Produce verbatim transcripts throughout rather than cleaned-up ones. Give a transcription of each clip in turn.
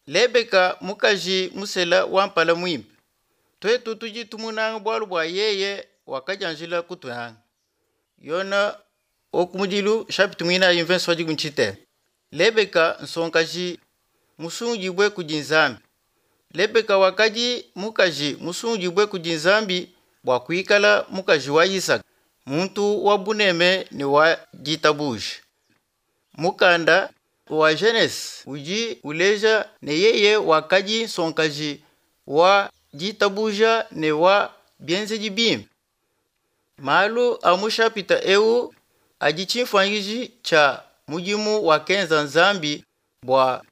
Lebeka mukaji musela wa mpala muimpe. Tuetu tudi tumunanga bualu bua yeye wakadianjila kutunanga. Yona okumudilu chapitre mwinayi mvenso wa dikumi tshitema. Lebeka nsonkaji musungudibue kudi Nzambi. Lebeka wakadi mukaji musungudibue kudi Nzambi bua kuikala mukaji wa Isaka, muntu wa buneme ne wa ditabuja. Mukanda wa Genese udi uleja ne yeye wakadi nsonkaji wa ditabuja ne wa bienzedi bimpe. Malu a mu chapitre eu adi tshimfuanyikiji tshia mudimu wakenza Nzambi bua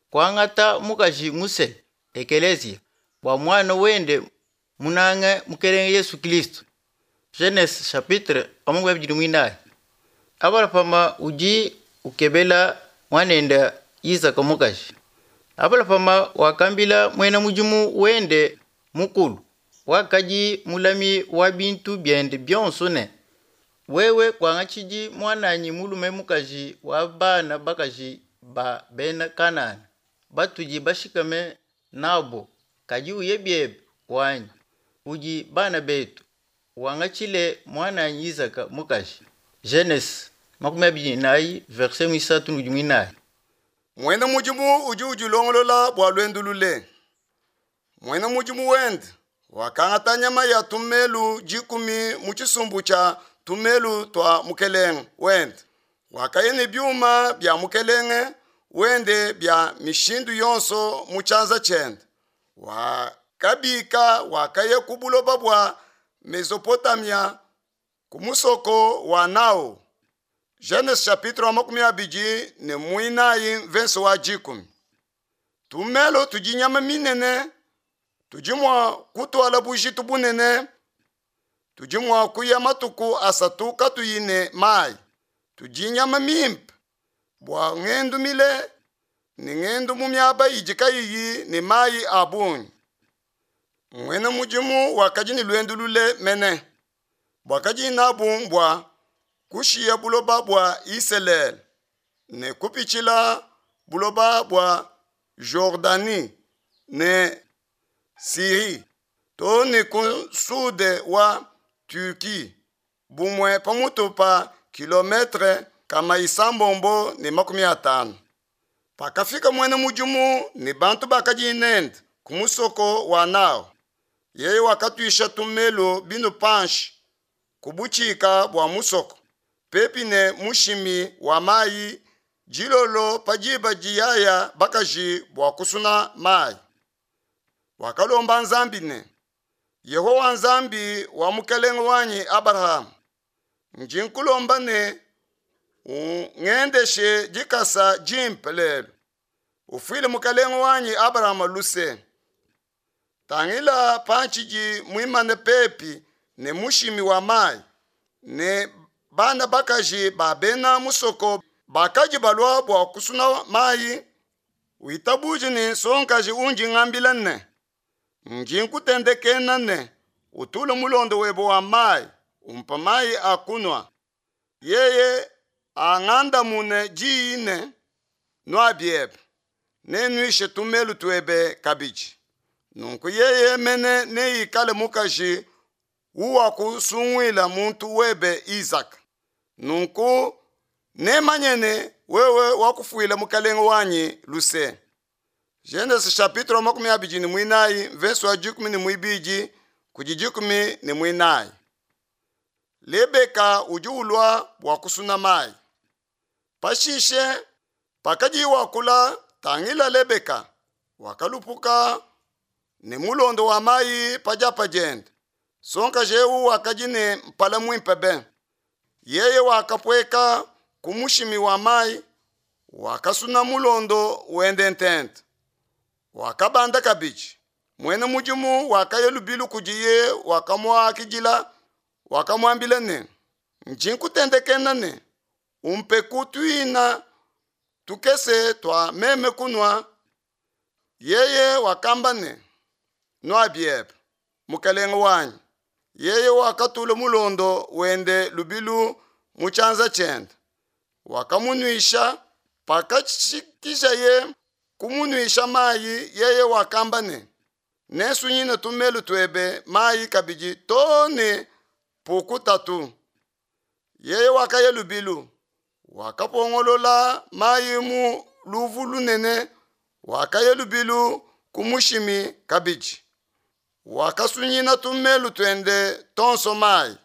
kuangata mukaji musela ekeleziya bua muana wende munange mukelenge Yesu Kristo. Genese chapitre amakumi Abalahama udi ukebela muanende Isaka mukaji. Abalahama wakambila muena mudimu wende mukulu wakadi mulami wa bintu biende bionso ne, wewe kuangatshidi muananyi mulume mukaji wa bana bakaji ba bena Kanana batudi bashikame nabo, kadi uye biebe wanyi kudi bana betu wangatshile muananyi Isaka mukaji. Genese makumi abidi nayi verset muisatu ne muinayi. Muena mudimu udi udilongolola bua luendu lule. Muena mudimu wende wakangata nyama ya tumelu dikumi mu tshisumbu tshia tumelu tua mukelenge wende. Wakaya ne biuma bia mukelenge wende bia mishindu yonso mu tshianza tshiende. Wakabika wakaya ku buloba bua Mesopotamia ku musoko wa Nao. Genese chapitre wa makumi abidi ne muinayi mvenso wa dikumi. Tumelo tudi nyama minene, tudi mua kutuala bujitu bunene, tudi mua kuya matuku asatu katuyi ne mayi. Tudi nyama mimpe bua ngendu mile ne ngendu mu miaba idi kayiyi ne mayi a bungi. Muena mudimu wakadi ne luendu lule mene, buakadi nabu mbua kushiya buloba bua Isalele ne kupitshila buloba bua Jordanie ne Syrie to ne ku sude wa Turquie bumue pamutu pa kilometre kama isambombo ne makumi atanu. Pakafika muena mudimu ne bantu bakadi nende ku musoko wa Nao, yeye wakatuisha tumelo binu panshi ku butshika bua musoko pepi ne mushimi wa mayi dilolo pa diba diyaya bakaji bua kusuna mayi. Wakalomba Nzambi ne, Yehowa Nzambi wa mukelenge wanyi Abrahama, ndi nkulomba ne ungendeshe dikasa dimpe lelo, ufuile mukelenge wanyi Abrahama luse. Tangila pantshidi muimane pepi ne mushimi wa mayi ne bana bakaji ba bena musoko bakadi balua bua kusuna mayi, witabuje ne nsongakaji undi ngambila ne, ndi nkutendekena ne utule mulondo webe wa mayi umpa mayi a kunua. Yeye angandamune diyi ne, nua biebe, nennuishe tumelu tuebe kabidi. Nunku yeye mene neikale mukaji uwakusunguila muntu webe Isaka. Nunku nemanye ne wewe wakufuila mukelenge wanyi luse. Genese chapitre makumi abidi ne muinayi verse wa dikumi ne muibidi kudi dikumi ne muinayi. Lebeka udi ulua bua kusuna mayi. Pashishe pakadi wakula tangila Lebeka wakalupuka ne mulondo wa mayi pa diapa diende. Sonkaji eu wakadi ne mpala muimpe be. Yeye wakapueka ku mushimi wa mayi, wakasuna mulondo wende ntente. Wakabanda kabidi. Muena mudimu wakaya lubilu kudiye, wakamuakidila, wakamuambila ne, ndi nkutendekena ne umpe tuina tukese tua meme kunua. Yeye wakamba ne, nua biebe, mukelenge wanyi. Yeye wakatula mulondo wende lubilu mu tshianza tshiende, wakamunuisha. Pakashikishaye kumunuisha mayi, yeye wakamba ne, nensunyine tumelu tuebe mayi kabidi too ne pukutatu. Yeye wakaya lubilu, wakapongolola mayi mu luvu lunene, wakaya lubilu ku mushimi kabidi. Wakasunyina tumelu tuende tonso mayi.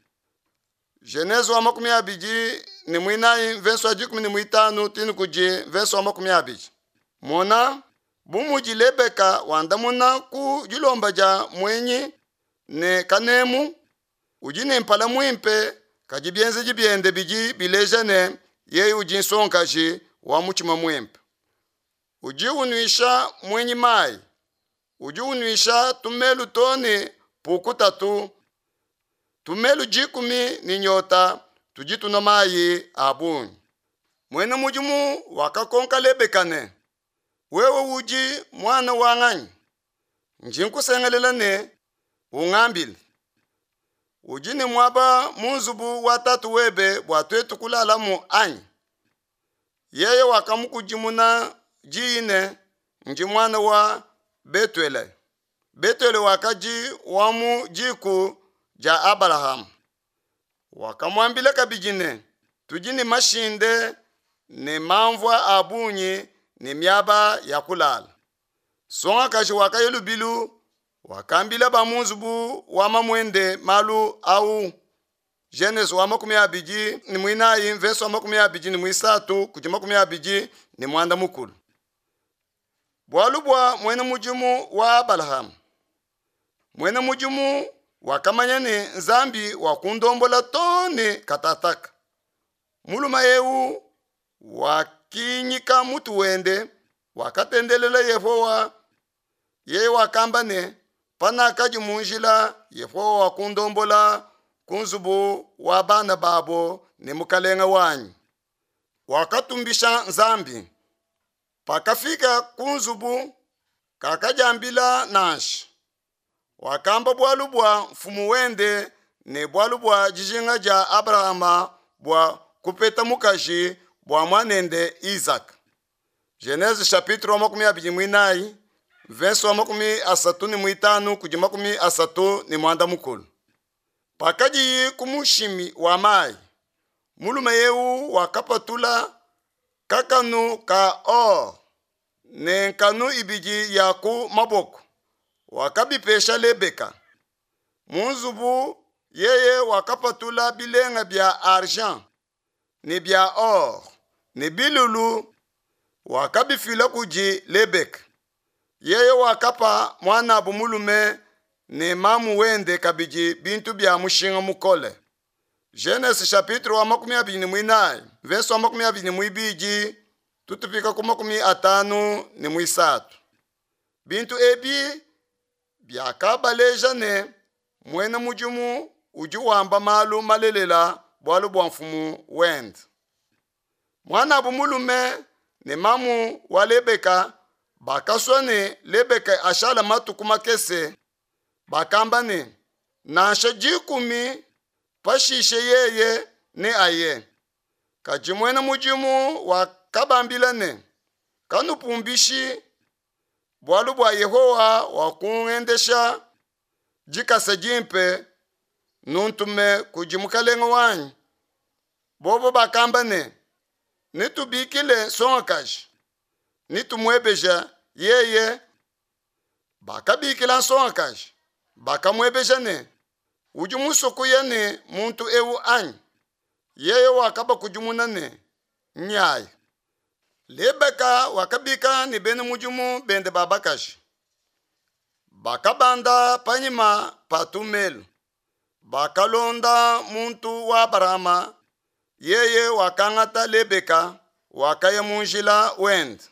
Genese wa makumi abidi ne mwinayi mverso wa dikumi ne mwitanu tini kudi mverso wa makumi abidi. Mona, bu mudi Lebeka wandamuna ku dilomba dia mwenyi ne kanemu, udi ne mpala muimpe, kadi bienzedi biende bidi bileja ne yeye udi nsongakaji wa mutshima muimpe. Udi unuisha mwenyi mayi, udi unuisha tumelu too ne pukutatu. Tumelu dikumi ne nyota tudi tunua mayi a bungi. Muena mudimu wakakonka Lebeka ne, wewe udi muana wa nganyi? Ndi nkusengelela ne ungambile. Udi ne muaba mu nzubu wa tatu webe bua tuetu kulalamu anyi? Yeye wakamukudimuna diyi ne, ndi muana wa Betuele. Betuele wakadi wa mu diku dia Abalahama. Wakamuambila kabidi ne, tudi ne mashinde ne mamvua a bungi ne miaba ya kulala. Nsongakaji wakaya lubilu, wakambila ba mu nzubu wa mamuende malu au. Genese wa makumi abidi ne mwinayi mverso wa makumi abidi ne mwisatu kudi makumi abidi ne mwanda mukulu. Bualu bua muena mudimu wa Abalahama. Muena mudimu wakamanya ne Nzambi wakundombola too ne katataka. Mulume eu wakinyika mutu wende, wakatendelela Yehowa. Yeye wakamba ne, panakadi mu njila, Yehowa wakundombola ku nzubu wa bana babo ne mukalenga wanyi. Wakatumbisha Nzambi. Pakafika ku nzubu, kakadiambila nansha. Wakamba bualu bua mfumu wende ne bualu bua dijinga dia Abrahama bua kupeta mukaji bua muanende Isaka. Genese chapitre wa makumi abidi mwinayi, verse wa makumi asatu ne mwitanu kudi makumi asatu ne mwanda mukulu. Pakadiyi ku mushimi wa mayi, mulume eu wakapatula kakanu ka or ne nkanu ibidi ya ku maboko, wakabipesha Lebeka. Mu nzubu yeye wakapatula bilenga bia argent ne bia or ne bilulu, wakabifila kudi Lebeka. Yeye wakapa muanabu mulume ne mamu wende kabidi bintu bia mushinga mukole. Genese chapitre wa makumi abidi ne mwinayi, verse wa makumi abidi ne mwibidi, tutupika ku makumi atanu ne mwisatu. Bintu ebi biakabaleja ne muena mudimu udi wamba malu malelela bualu bua mfumu wende. Muanabu mulume ne mamu wa Lebeka bakasua ne Lebeka ashala matuku makese. Bakamba ne, nansha dikumi pashishe yeye ne aye. Kadi muena mudimu wakabambila ne, kanupumbishi, bualu bua Yehowa wakungendesha dikasa dimpe, nuntume kudi mukalenga wanyi. Bobo bakamba ne, netubikile nsongakaji, netumuebeja yeye. Bakabikila nsongakaji, bakamuebeja ne, udi musue kuya ne muntu eu anyi? Yeye wakabakudimuna ne, nyayi. Lebeka wakabika ne bena mudimu bende ba bakaji. Bakabanda panyima pa tumelu. Bakalonda muntu wa Abalahama. Yeye wakangata Lebeka, wakaya mu njila wende.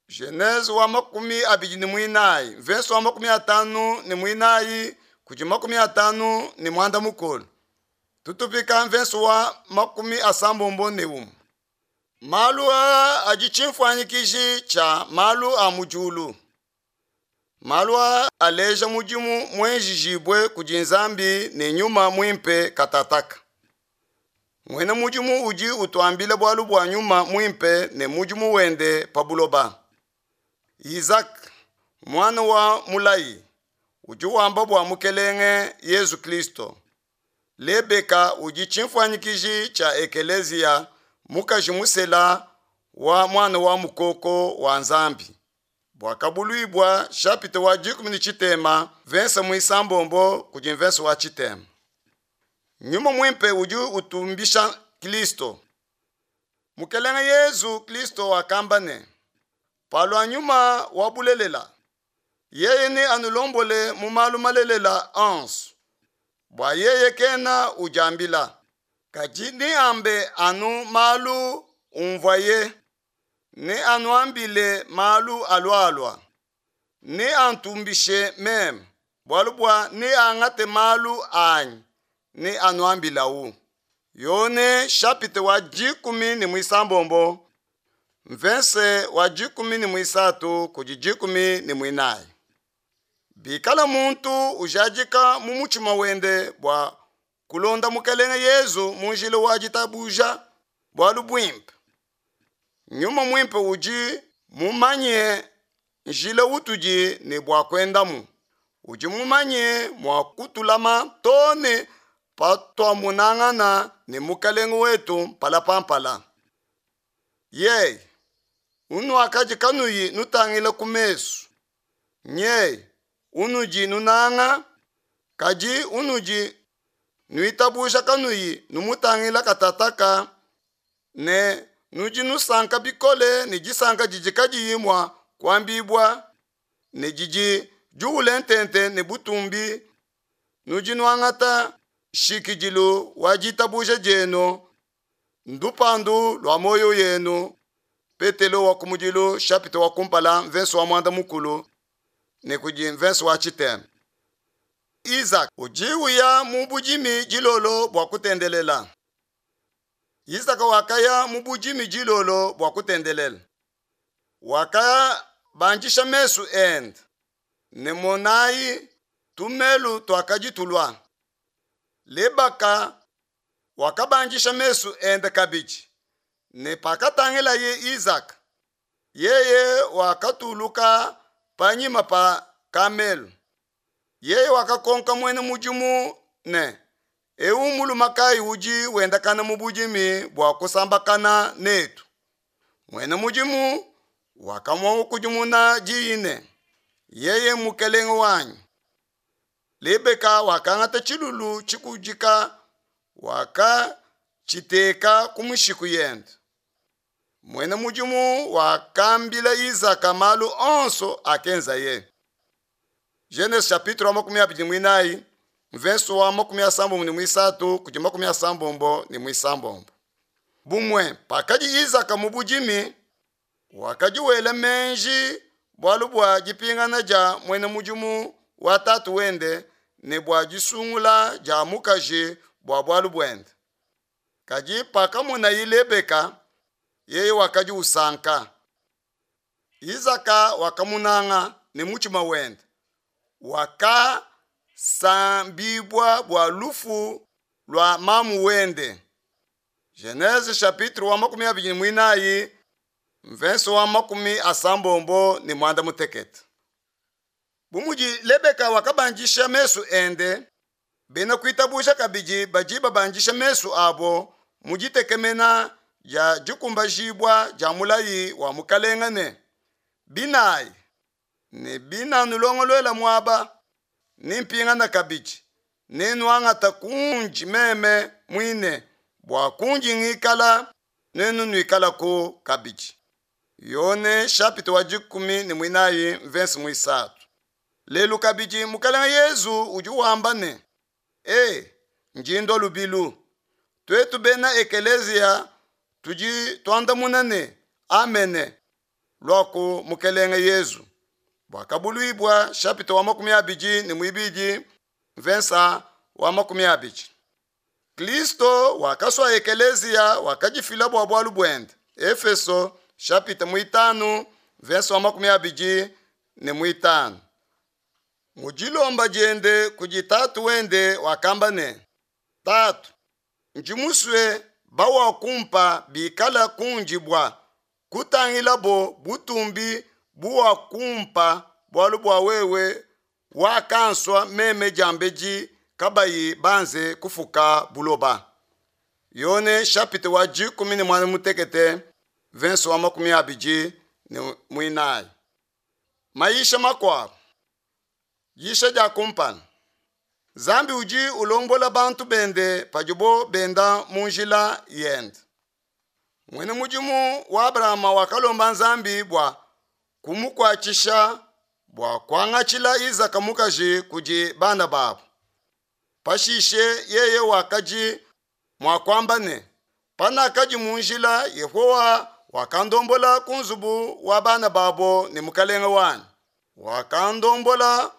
Genese wa makumi abidi ne mwinayi, verse wa makumi atanu ne mwinayi kudi makumi atanu ne mwanda mukulu. Tutupika verse wa makumi asambombo ne umwe. Malu aa adi tshimfuanyikiji tshia malu a mu diulu. Malu aa aleja mudimu muenjijibue kudi Nzambi ne nyuma muimpe katataka. Muena mudimu udi utuambila bualu bua nyuma muimpe ne mudimu wende pa buloba. Isaka mwana wa mulayi udi wamba bua mukelenge Yesu Kristo. Lebeka udi chimfuanyikiji cha ekeleziya mukaji musela wa mwana wa mukoko wa Nzambi. Bwakabulwibwa chapitre wa dikumi ni chitema verse mwisambombo kudi verse wa chitema. Nyuma mwimpe udi utumbisha Kristo. Mukelenge Yesu Kristo wakamba ne palwa nyuma wa bulelela yeye ne anulombole mu malu malelela onso bwa yeye kena ujambila kadi ni ambe anu malu umvaye ne anuambile malu alwalwa ne antumbishe meme bwalu bwa ne angate malu anyi ne anuambilawu. Yone chapitre wa dikumi ni mwisambombo mvense wa dikumi ni mwisatu kudi dikumi ni mwinayi. Bikala muntu ujadika mu mutima wende bwa kulonda mukelenge Yesu munjila wa ditabuja bwalu bwimpe. Nyuma mwimpe uji mumanye njila utudi ne bwa kwendamu. Uji mumanye mwa kutulama tone patwamunangana ne mukelenge wetu mpalapampala. Ye unu akaji kanuyi nutangila kumesu. Nye unuji nunanga kaji unuji nuitabusha kanuyi numutangila katataka ne nuji nusanka bikole ne jisanka jiji kadiyimwa kwambibwa ne jiji juule ntente ne butumbi nuji nuangata shikijilu wa jitabusha jenu ndupandu lwa moyo yenu. Petelo wa kumujilu chapitre wa kumpala verse wa mwanda mukulu ne kuji verse wa chitema. Isaac ujiuya mu bujimi jilolo bwa kutendelela. Isaac wakaya mu bujimi jilolo bwa kutendelela. Wakaya banjisha mesu end ne monayi tumelu twakajitulwa. Lebaka wakabanjisha mesu ende kabiji ne pakatangila ye Isaac yeye wakatuluka panyima pa kamelu. Yeye wakakonka mwene mujimu ne ewu mulumakai uji wendakana mu bujimi bwa kusambakana netu. Mwene mujimu wakamwa kujimuna jiine yeye mukelenge wanyu. Lebeka wakangata chilulu chikujika wakachiteka kumushiku yende. Mwene mujimu wakambila Isaka malu onso akenza ye. Genese chapitre wa makumi abiri mwinayi verse wa makumi asambombo ni mwisatu kudi makumi asambombo ni mwisambombo. Bumwe pakaji Isaka mu bujimi wakaji wela menji bwalu bwa jipingana ja mwene mujimu wa tatu wende ne bwa jisungula ja mukaji bwa bwalu bwende. Kaji pakamona Lebeka yeye wakaji usanka. Isaka wakamunanga ne muchima wende. Waka sambibwa bwa lufu lwa mamu wende. Genese chapitre wa makumi abiri mwinayi verse wa makumi asambombo ni mwanda mutekete. Bumuji Lebeka wakabanjisha mesu ende bena kuitabusha kabiji baji babanjisha mesu abo mujitekemena ya jikumbajibwa ja mulayi wa mukalengane binayi ne bina nulongolwela mwaba nimpingana kabiji nenwangata kunji meme mwine bwa kunji ngikala nenu nwikala ku kabiji. Yone chapitre wa jikumi ni mwinayi verse mwisatu. Lelu kabiji mukalenge Yesu uji wamba ne e njindo lubilu twetu bena ekelezia tuji twandamuna ne amene lwaku mukelenge Yesu. Bwakabulwibwa chapitre wa makumi abiji ni mwibiji verse wa makumi abiji. Kristo wakaswa ekelezia wakajifila bwa bwalu bwende. Efeso chapitre mwitanu verse wa makumi abiji ni mwitanu. Mujilomba jende kujitatu wende wakamba ne tatu njimuswe bawa kumpa bikala kunjibwa kutangila bo butumbi buwakumpa bualu bua wewe wakansua meme diambedi kabayi banze kufuka buloba. Yone chapitre wa dikumi ne muanda mutekete verse wa makumi abidi ne muinayi. Maisha makuabu. Yisha dia kumpala. Nzambi udi ulombola bantu bende padibo benda mu njila yende. Mwene mudimu wa Abrahama wakalomba Nzambi bua kumukuatshisha bua kuangatshila Isaka mukaji kudi bana babu. Pashishe yeye wakadi mua kuamba ne, panakadi mu njila Yehowa wakandombola ku nzubu wa bana babo ne mukalenge wanyi. Wakandombola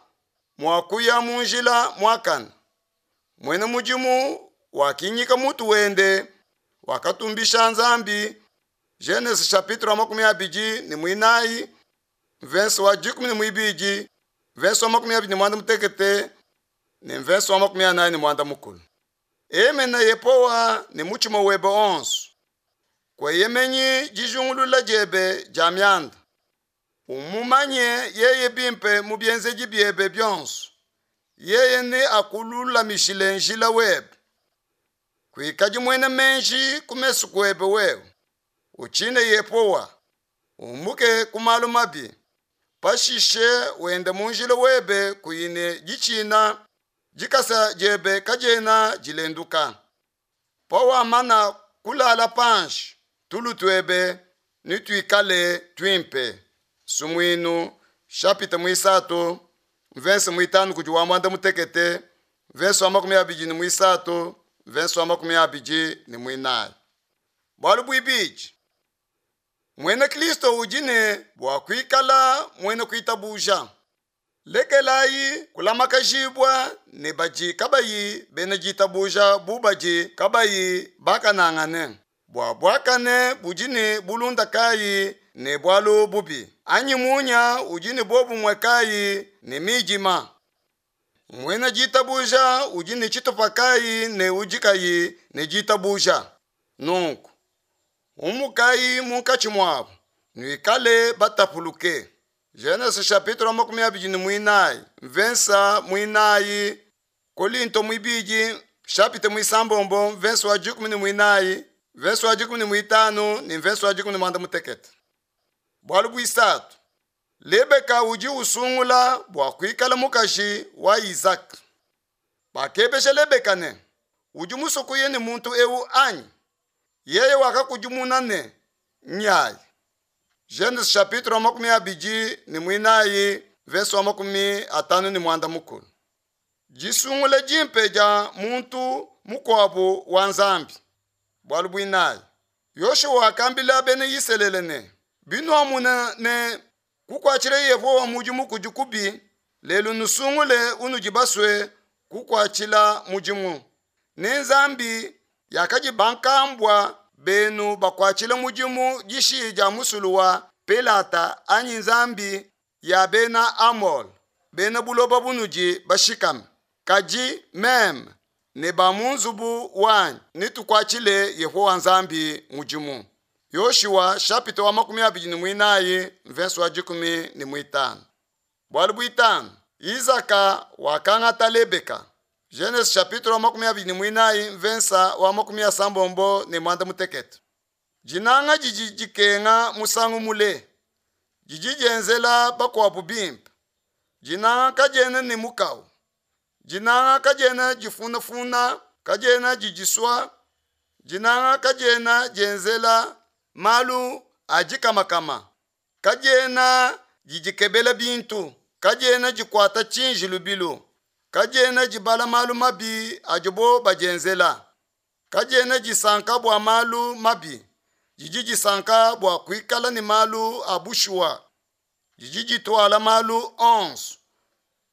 mua kuya mu njila muakane. Mwene mudimu wakinyika mutu wende wakatumbisha Nzambi. Genese chapitre wa makumi abidi ne muinayi verse wa dikumi ne muibidi verse wa makumi abidi ne muanda mutekete ne verse wa makumi anayi ne muanda mukulu. Emena Yehowa ne mutshima webe onso. Kueyemenyi dijungulula diebe dia mianda. Umumanye yeye bimpe mu bienzedi biebe bionso. Yeye ne akululamishile njila webe. Kuikadi muena menji ku mesu kuebe wewe. Utshine Yehowa. Umuke ku malu mabi. Pashishe wende mu njila webe kuyine ditshina dikasa diebe kadiena dilenduka. Pawamana kulala panshi tulu tuebe nituikale tuimpe. Sumuinu chapitre muisatu verse muitanu kudi wa muanda mutekete verse wa makumi abidi ne muisatu verse wa makumi abidi ne muinayi. Bualu buibidi, mwena Kristo udi ne bua kuikala mwena kuitabuja. Lekelayi kulamakajibua ne badi kabayi bena ditabuja bu badi kabayi bakanangane. Bua buakane budi ne bulunda kayi ne bualu bubi, anyi munya udi ne bobumwe kayi ne midima. Mwena ditabuja udi ne tshitupa kayi ne udi kayi ne ditabuja. Nunku umukayi munkatshi muabu, nuikale batapuluke. Genese chapitre makumi abidi ne muinayi verse muinayi, Kolinto muibidi chapitre muisambombo verse wa dikumi ne muinayi verse wa dikumi ne muitanu ne verse wa dikumi ne muanda mutekete. Bualu buisatu, Lebeka udi usungula bua kuikala mukaji wa Isaka. Bakebesha Lebeka ne, udi musokuye ne muntu ewu anyi? Yeye wakakudimuna ne, nyayi. Genese chapitre makumi abidi ne muinayi verse wa makumi atanu ne muanda mukulu. Disungula dimpe dia muntu mukuabu wa Nzambi. Bualu buinayi, Yoshua wakambila bena Isalele ne, binuamuna ne kukuatshila Yehowa mudimu kudi kubi, lelu nusungule unudi basue kukuatshila mudimu. Ne Nzambi yakadi bankambua benu bakuatshila mudimu dishi dia musulu wa Pelata anyi Nzambi ya bena Amole, bena buloba bunudi bashikame. Kadi meme ne ba mu nzubu wanyi nitukuatshile Yehowa Nzambi mudimu. Yoshua chapitre wa makumi abidi ne muinayi verse wa dikumi ne muitanu. Bualu buitanu, Isaka wakangata Lebeka. Genese chapitre wa makumi abidi ne muinayi verse wa makumi asambombo ne muanda mutekete. Dinanga didi dikenga musangu mule, didi dienzela bakuabu bimpe. Dinanga kadiena ne mukawu. Dinanga kadiena difunafuna, kadiena didisua. Dinanga kadiena dienzela malu a dikamakama, kadiena didikebela bintu, kadiena dikuata tshinji lubilu, kadiena dibala malu mabi adibo badienzela, kadiena disanka bua malu mabi, didi disanka bua kuikala ne malu a bushuwa, didi dituala malu onso,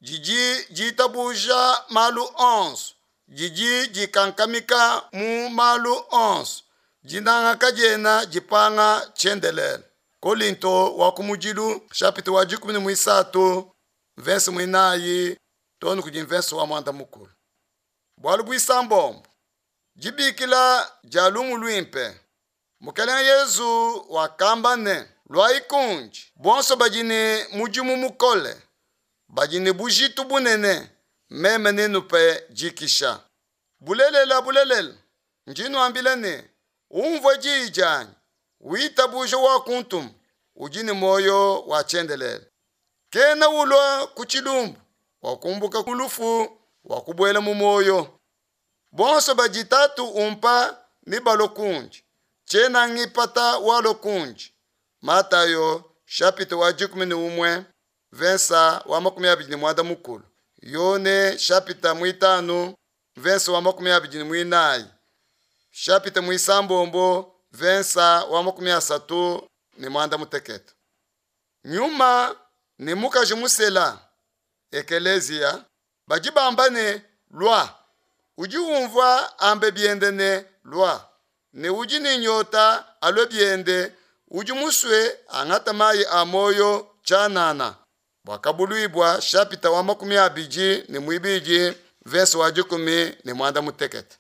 didi ditabuja malu onso, didi dikankamika mu malu onso. Dinanga kadiena dipanga tshiendelele. Kolinto wa kumudilu chapitre wa dikumi ne muisatu verse muinayi tonu kudi verse wa muanda mukulu. Bualu buisambombo, dibikila dia lumu luimpe. Mukelenge Yezu wakamba ne, Luayi kundi bonso badi ne mudimu mukole, badi ne bujitu bunene, meme nenupe dikisha. Bulelela, bulelela, ndi nuambila ne, unvua diyi dianyi, witabuja wakuntuma, udi ne muoyo wa tshiendelele. Kena ulua ku tshilumbu, wakumbuka ku lufu, wakubuela mu muoyo. Bonso badi Tatu umpa nebalue kundi, tshiena ngipata walua kundi. Matayo chapitre wa dikumi ne umue verset wa makumi abidi ne muanda mukulu. Yone chapitre mwitanu verset wa makumi abidi ne mwinayi. Chapitre mwisambombo verset wa makumi asatu ne muanda mutekete. Nyuma ne mukaji musela ekelezia badi bamba ne lua udi umvua ambe biende ne lua ne udi ne nyota alue biende udi musue angata mayi a moyo tshianana Buakabuluibua chapitre wa makumi abidi ne muibidi verset wa dikumi ne muanda mutekete.